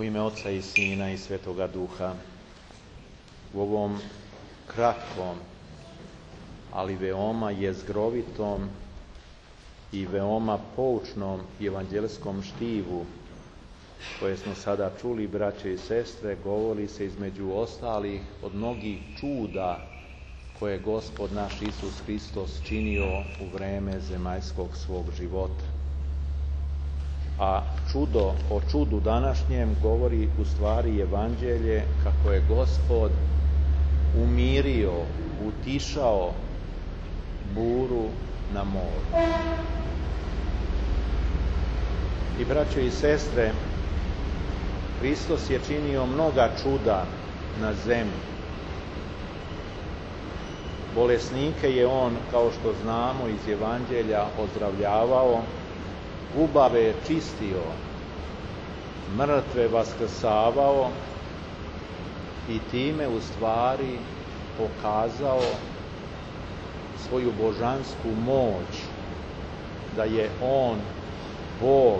U ime Oca i Sina i Svetoga Duha, u ovom kratkom, ali veoma jezgrovitom i veoma poučnom evanđelskom štivu, koje smo sada čuli, braće i sestre, govori se između ostalih od mnogih čuda koje je Gospod naš Isus Hristos činio u vreme zemaljskog svog života. A o čudu današnjem govori u stvari Evanđelje kako je Gospod umirio, utišao buru na moru. I braćo i sestre, Hristos je činio mnoga čuda na zemlji. Bolesnike je on, kao što znamo iz Evanđelja, ozdravljavao, gubave je čistio, mrtve vaskrsavao i time u stvari pokazao svoju božansku moć, da je on Bog.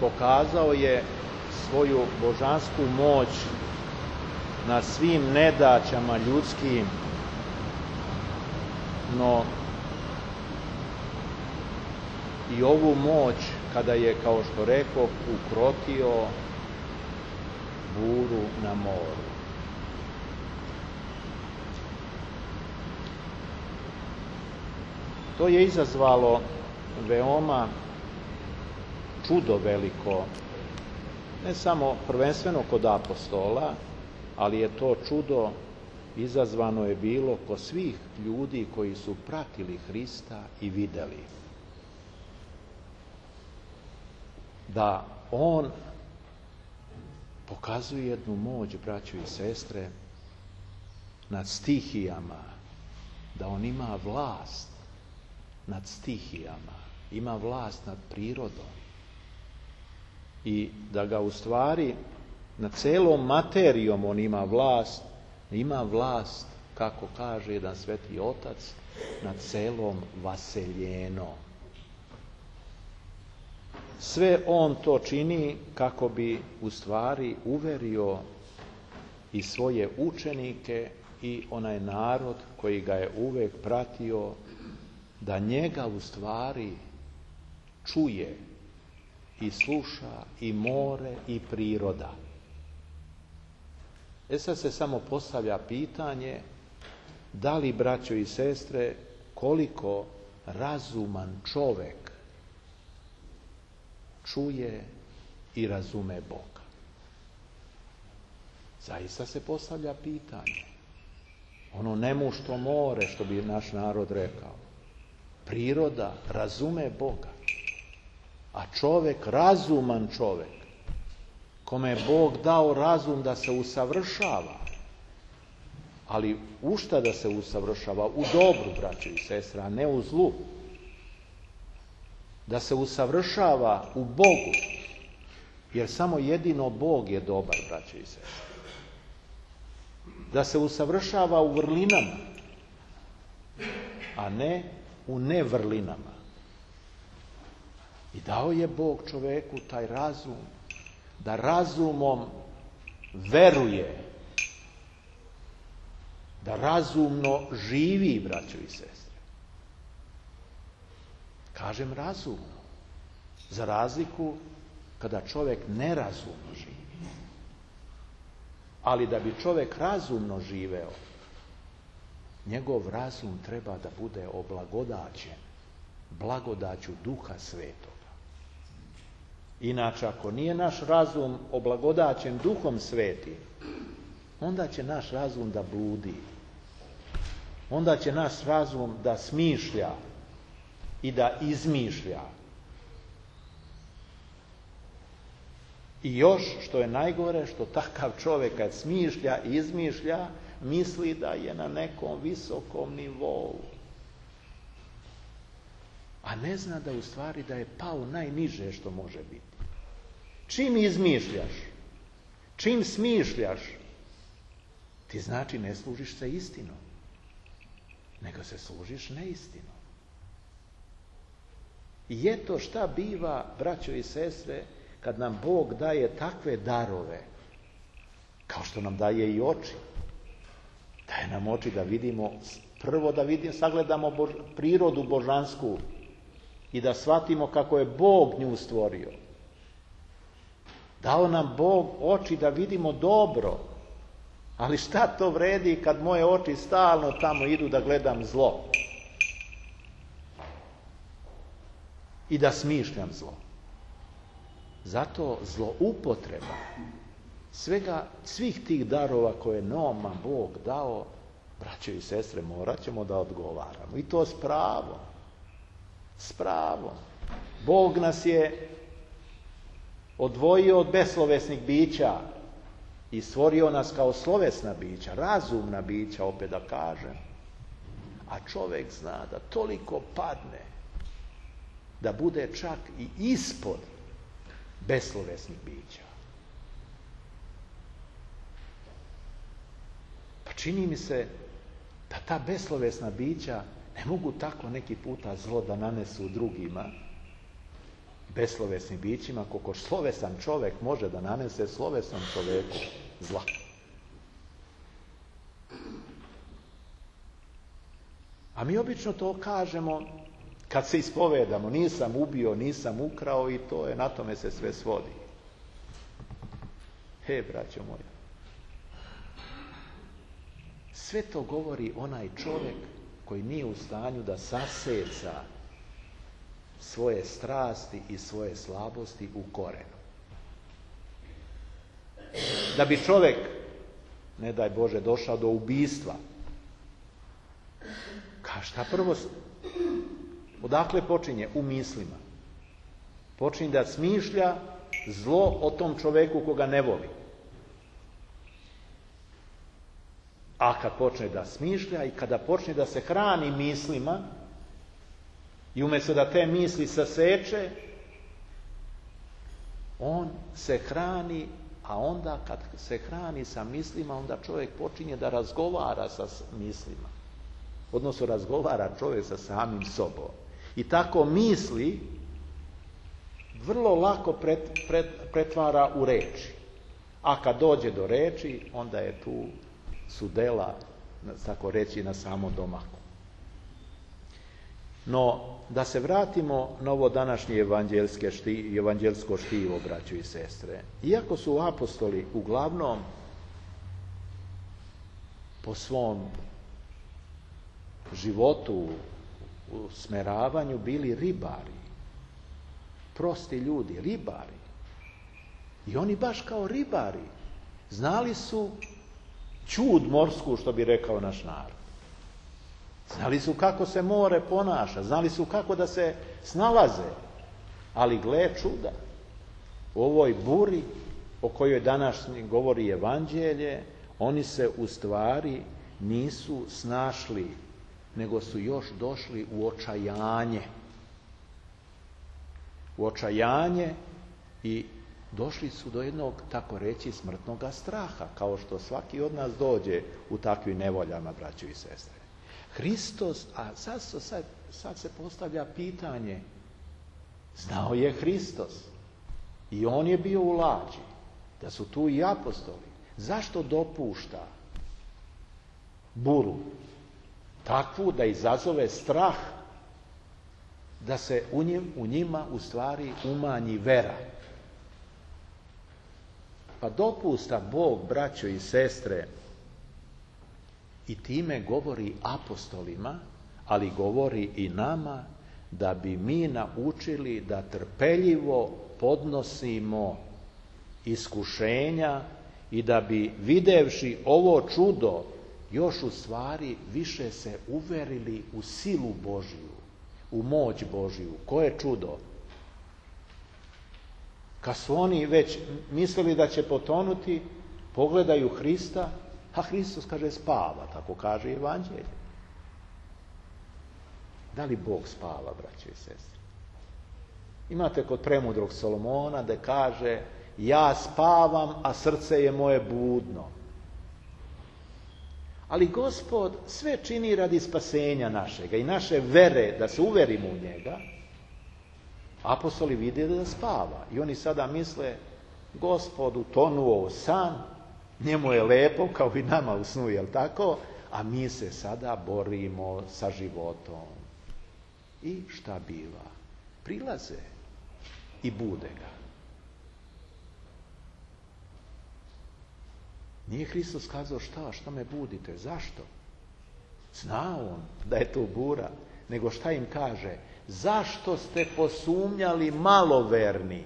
Pokazao je svoju božansku moć na svim nedaćama ljudskim, no i ovu moć kada je, kao što rekoh, ukrotio buru na moru. To je izazvalo veoma čudo veliko, ne samo prvenstveno kod apostola, ali je to čudo izazvano je bilo kod svih ljudi koji su pratili Hrista i videli da on pokazuje jednu moć, braćo i sestre, nad stihijama, da on ima vlast nad stihijama, ima vlast nad prirodom i da ga u stvari nad celom materijom on ima vlast, kako kaže jedan sveti otac, nad celom vaseljenom. Sve on to čini kako bi u stvari uverio i svoje učenike i onaj narod koji ga je uvek pratio, da njega u stvari čuje i sluša i more i priroda. Sad se samo postavlja pitanje, da li, braćo i sestre, koliko razuman čovek čuje i razume Boga? Zaista se postavlja pitanje. Ono nemušto more, što bi naš narod rekao. Priroda razume Boga, a čovek, razuman čovek, kome je Bog dao razum da se usavršava, ali u šta da se usavršava? U dobru, braćo i sestre, a ne u zlu. Da se usavršava u Bogu, jer samo jedino Bog je dobar, braćo i sestre. Da se usavršava u vrlinama, a ne u nevrlinama. I dao je Bog čoveku taj razum, da razumom veruje, da razumno živi, braćo i sestre. Kažem razumno, za razliku kada čovjek nerazumno živi. Ali da bi čovjek razumno živeo, njegov razum treba da bude oblagodaćen blagodaću Duha Svetoga. Inače, ako nije naš razum oblagodaćen Duhom Svetim, onda će naš razum da bludi. Onda će naš razum da smišlja i da izmišlja. I još, što je najgore, što takav čovjek kad smišlja i izmišlja, misli da je na nekom visokom nivou. A ne zna da u stvari da je pao najniže što može biti. Čim izmišljaš, čim smišljaš, ti znači ne služiš se istinom, nego se služiš neistinom. I eto šta biva, braćo i sestre, kad nam Bog daje takve darove, kao što nam daje i oči. Daje nam oči da vidimo, prvo da sagledamo prirodu božansku i da shvatimo kako je Bog nju stvorio. Dao nam Bog oči da vidimo dobro, ali šta to vredi kad moje oči stalno tamo idu da gledam zlo i da smišljam zlo. Zato zloupotreba svih tih darova koje nama Bog dao, braćo i sestre, morat ćemo da odgovaramo. I to s pravom. S pravom. Bog nas je odvojio od beslovesnih bića i stvorio nas kao slovesna bića, razumna bića, opet da kažem. A čovjek zna da toliko padne da bude čak i ispod beslovesnih bića. Pa čini mi se da ta beslovesna bića ne mogu tako neki puta zlo da nanesu drugima, beslovesnim bićima, koliko slovesan čovjek može da nanese slovesnom čovjeku zla. A mi obično to kažemo kad se ispovedamo, nisam ubio, nisam ukrao i to je, na tome se sve svodi. Braćo moja, sve to govori onaj čovjek koji nije u stanju da saseca svoje strasti i svoje slabosti u korenu. Da bi čovjek, ne daj Bože, došao do ubistva, šta prvo, odakle počinje? U mislima. Počinje da smišlja zlo o tom čovjeku koga ne voli. A kad počne da smišlja i kada počne da se hrani mislima i umjesto da te misli saseče, on se hrani, a onda kad se hrani sa mislima, onda čovjek počinje da razgovara sa mislima. Odnosno razgovara čovjek sa samim sobom. I tako misli vrlo lako pretvara u reči. A kad dođe do reči, onda je tu su dela, tako reći, na samo domaku. No, da se vratimo na ovo današnje evanđelsko štivo, braćo i sestre. Iako su apostoli uglavnom po svom životu, u smeravanju bili ribari, prosti ljudi, ribari. I oni baš kao ribari znali su ćud morsku, što bi rekao naš narod. Znali su kako se more ponaša, znali su kako da se snalaze. Ali gle čuda, u ovoj buri o kojoj danas govori evanđelje, oni se u stvari nisu snašli, nego su još došli u očajanje. U očajanje i došli su do jednog, tako reći, smrtnog straha, kao što svaki od nas dođe u takvim nevoljama, braćo i sestre. Hristos, a sad se postavlja pitanje, znao je Hristos i on je bio u lađi, da su tu i apostoli. Zašto dopušta buru takvu da izazove strah, da se u njima u stvari umanji vera? Pa dopusta Bog, braćo i sestre, i time govori apostolima, ali govori i nama, da bi mi naučili da trpeljivo podnosimo iskušenja i da bi, videvši ovo čudo, još u stvari više se uverili u silu Božju, u moć Božju. Koje čudo? Kad su oni već mislili da će potonuti, pogledaju Hrista, a Hristos kaže spava, tako kaže evanđelje. Da li Bog spava, braće i sestre? Imate kod premudrog Solomona da kaže, ja spavam, a srce je moje budno. Ali Gospod sve čini radi spasenja našega i naše vere, da se uverimo u njega, Apostoli vide da spava i oni sada misle, Gospod utonuo u san, njemu je lepo kao i nama u snu, jel tako? A mi se sada borimo sa životom. I šta biva? Prilaze i bude ga. Nije Hristos kazao šta me budite, zašto? Zna on da je to bura, nego šta im kaže? Zašto ste posumnjali maloverni?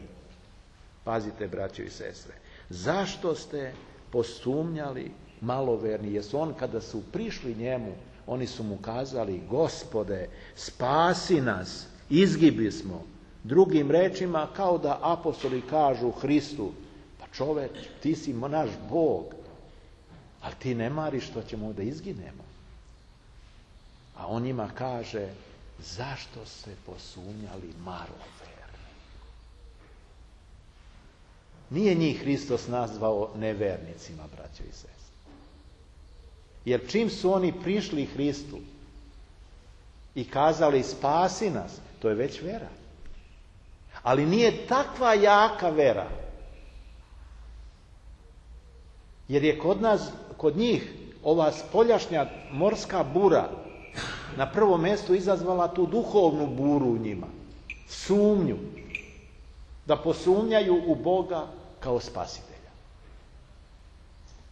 Pazite, braćo i sestre, zašto ste posumnjali maloverni? Jer su on, kada su prišli njemu, oni su mu kazali, Gospode, spasi nas, izgibi smo. Drugim rečima, kao da apostoli kažu Hristu, pa čoveč, ti si naš Bog, ali ti ne mariš što ćemo da izginemo. A on njima kaže, zašto ste posumnjali maloverni? Nije njih Hristos nazvao nevernicima, braćo i sestre. Jer čim su oni prišli Hristu i kazali spasi nas, to je već vera. Ali nije takva jaka vera. Jer je kod njih ova spoljašnja morska bura na prvom mjestu izazvala tu duhovnu buru u njima. Sumnju. Da posumnjaju u Boga kao spasitelja.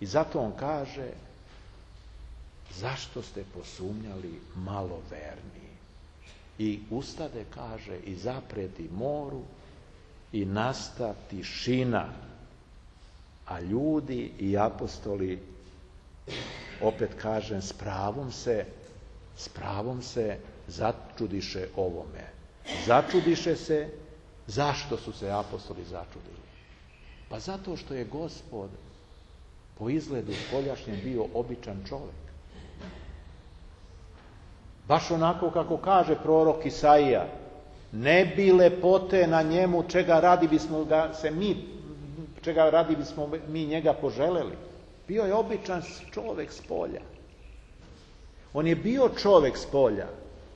I zato on kaže, zašto ste posumnjali maloverni? I ustade, kaže, i zapreti moru i nasta tišina. A ljudi i apostoli, opet kažem, s pravom se začudiše ovome. Začudiše se, zašto su se apostoli začudili? Pa zato što je Gospod po izgledu spoljašnjem bio običan čovjek. Baš onako kako kaže prorok Isaija, ne bi lepote na njemu čega radi bismo mi njega poželeli. Bio je običan čovjek s polja. On je bio čovjek s polja,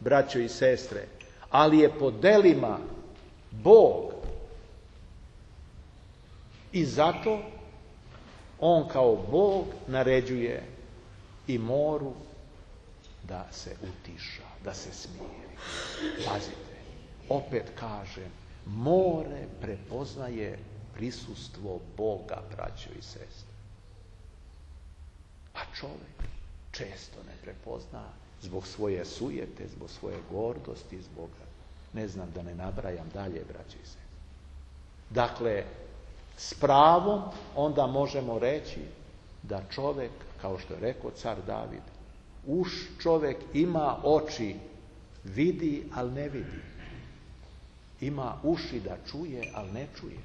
braćo i sestre, ali je po delima Bog. I zato on kao Bog naređuje i moru da se utiša, da se smiri. Pazite, opet kažem, more prepoznaje prisustvo Boga, braćo i sestre. A čovjek često ne prepozna zbog svoje sujete, zbog svoje gordosti, zbog, ne znam, da ne nabrajam dalje, braćo i sestre. Dakle, s pravom onda možemo reći da čovjek, kao što je rekao car David, čovjek ima oči, vidi, ali ne vidi. Ima uši da čuje, ali ne čuje.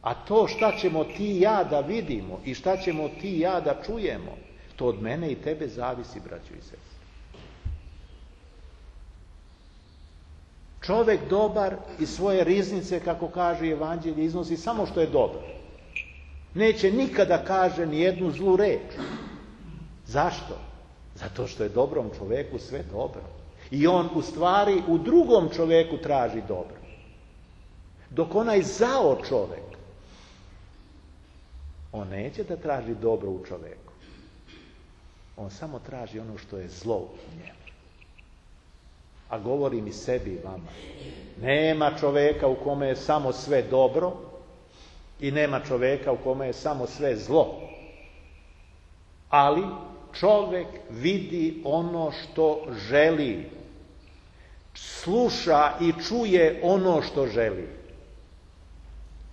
A to šta ćemo ti i ja da vidimo i šta ćemo ti i ja da čujemo, to od mene i tebe zavisi, braćo i sestre. Čovjek dobar iz svoje riznice, kako kaže Evanđelje, iznosi samo što je dobro. Neće nikada kaže ni jednu zlu reč. Zašto? Zato što je dobrom čovjeku sve dobro. I on u stvari u drugom čovjeku traži dobro. Dok onaj zao čovjek, on neće da traži dobro u čovjeku. On samo traži ono što je zlo u njemu. A govorim i sebi i vama. Nema čovjeka u kome je samo sve dobro i nema čovjeka u kome je samo sve zlo. Ali čovjek vidi ono što želi. Sluša i čuje ono što želi.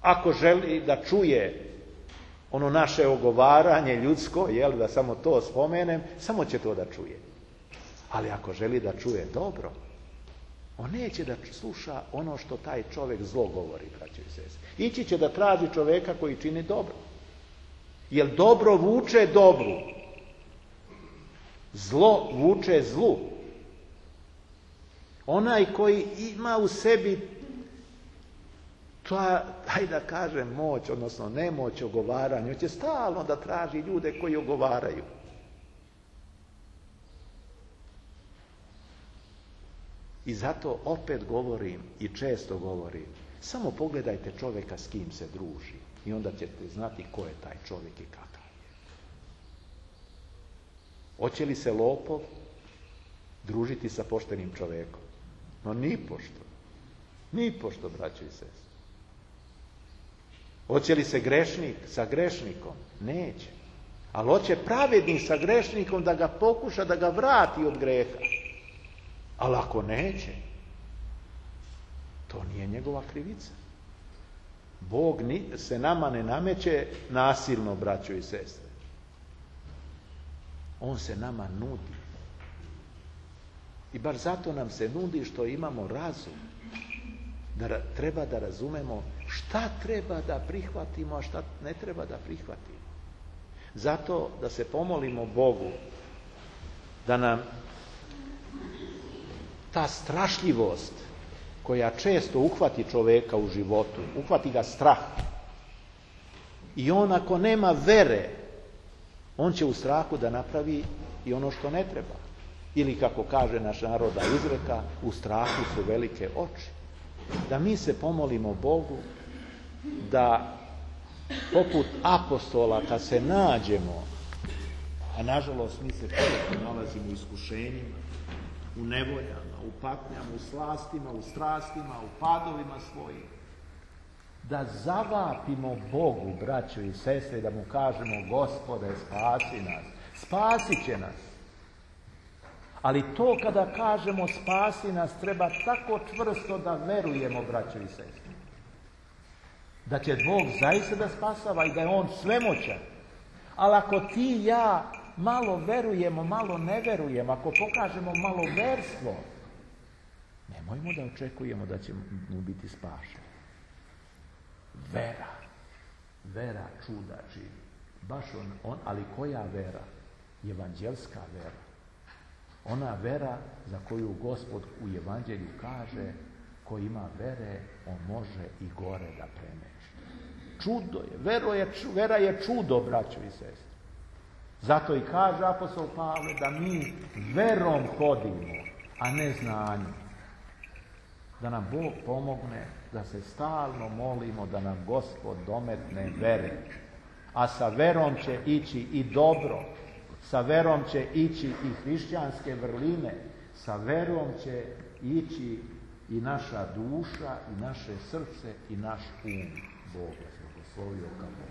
Ako želi da čuje ono naše ogovaranje ljudsko, da samo to spomenem, samo će to da čuje. Ali ako želi da čuje dobro, on neće da sluša ono što taj čovjek zlo govori, braćo i sestre. Ići će da traži čovjeka koji čini dobro. Jer dobro vuče dobru. Zlo vuče zlu. Onaj koji ima u sebi hajde da kažem, moć, odnosno nemoć ogovaranja, on će stalno da traži ljude koji ogovaraju. I zato opet govorim i često govorim, samo pogledajte čovjeka s kim se druži i onda ćete znati ko je taj čovjek i kakav je. Hoće li se lopov družiti sa poštenim čovjekom? No nipošto, braćo i sestre. Hoće li se grešnik sa grešnikom? Neće. Ali hoće pravednik sa grešnikom da ga pokuša, da ga vrati od greha. Ali ako neće, to nije njegova krivica. Bog se nama ne nameće nasilno, braćo i sestre. On se nama nudi. I bar zato nam se nudi što imamo razum. Da treba da razumemo šta treba da prihvatimo, a šta ne treba da prihvatimo. Zato da se pomolimo Bogu da nam ta strašljivost koja često uhvati čovjeka u životu, uhvati ga strah. I on ako nema vere, on će u strahu da napravi i ono što ne treba. Ili kako kaže naš narodna izreka, u strahu su velike oči. Da mi se pomolimo Bogu da poput apostola kad se nađemo, a nažalost mi se često nalazimo u iskušenjima, u nevoljama, u patnjama, u slastima, u strastima, u padovima svojim, da zavapimo Bogu, braćo i sestre, da mu kažemo Gospode, spasi nas, spasit će nas. Ali to kada kažemo spasi nas, treba tako čvrsto da verujemo, braćo i sestre, da će Bog zaista da spasava i da je On svemoćan. Ali ako ti i ja malo verujemo, malo ne verujemo, ako pokažemo malo verstvo, nemojmo da očekujemo da ćemo biti spašeni. Vera čuda čini. Baš on, ali koja vera? Evanđelska vera. Ona vera za koju Gospod u Evanđelju kaže, ko ima vere, on može i gore da premeši. Čudo je, vera je čudo, braćo i sestre. Zato i kaže apostol Pavle da mi verom hodimo, a ne znanjem. Da nam Bog pomogne, da se stalno molimo da nam Gospod dometne vere. A sa verom će ići i dobro, sa verom će ići i hrišćanske vrline, sa verom će ići i naša duša, i naše srce, i naš um. Bog vas blagoslovio kako.